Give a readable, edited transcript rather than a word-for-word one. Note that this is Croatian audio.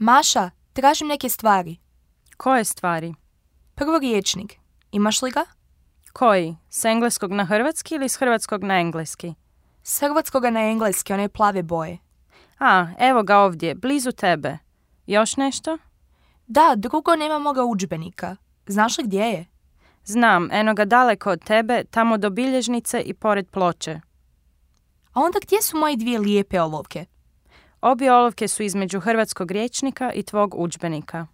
Maša, tražim neke stvari. Koje stvari? Prvo riječnik. Imaš li ga? Koji? S engleskog na hrvatski ili s hrvatskog na engleski? S hrvatskoga na engleski, one plave boje. A, evo ga ovdje, blizu tebe. Još nešto? Da, drugo, nema moga udžbenika. Znaš li gdje je? Znam, eno ga daleko od tebe, tamo do bilježnice i pored ploče. A onda gdje su moje dvije lijepe olovke? Obje olovke su između hrvatskog rječnika i tvog udžbenika.